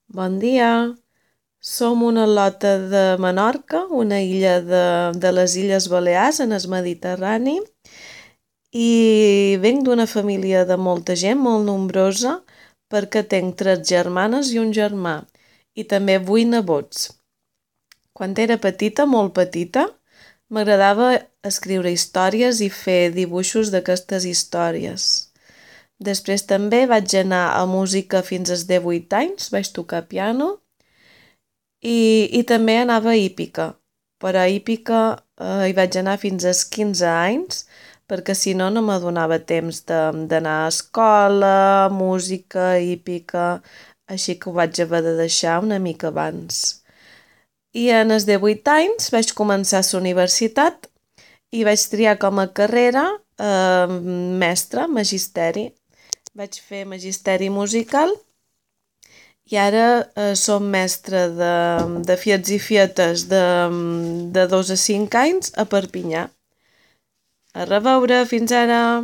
Bon dia, som una lota de Menorca, una illa de les Illes Balears en el Mediterrani i venc d'una família de molta gent, molt nombrosa, perquè tenc 3 germanes i un germà i també 8 nebots. Quan era petita, molt petita, m'agradava escriure històries i fer dibuixos d'aquestes històries. Després també vaig anar a música fins als 18 anys, vaig tocar piano i també anava a hípica, però a hípica hi vaig anar fins als 15 anys perquè si no no m'adonava temps d'anar a escola, música, hípica, així que ho vaig haver de deixar una mica abans. I en els 18 anys vaig començar a la universitat i vaig triar com a carrera mestre, magisteri. Vaig fer magisteri musical i ara som mestre de fiets i fietes de 2 a 5 anys a Perpinyà. A reveure, fins ara!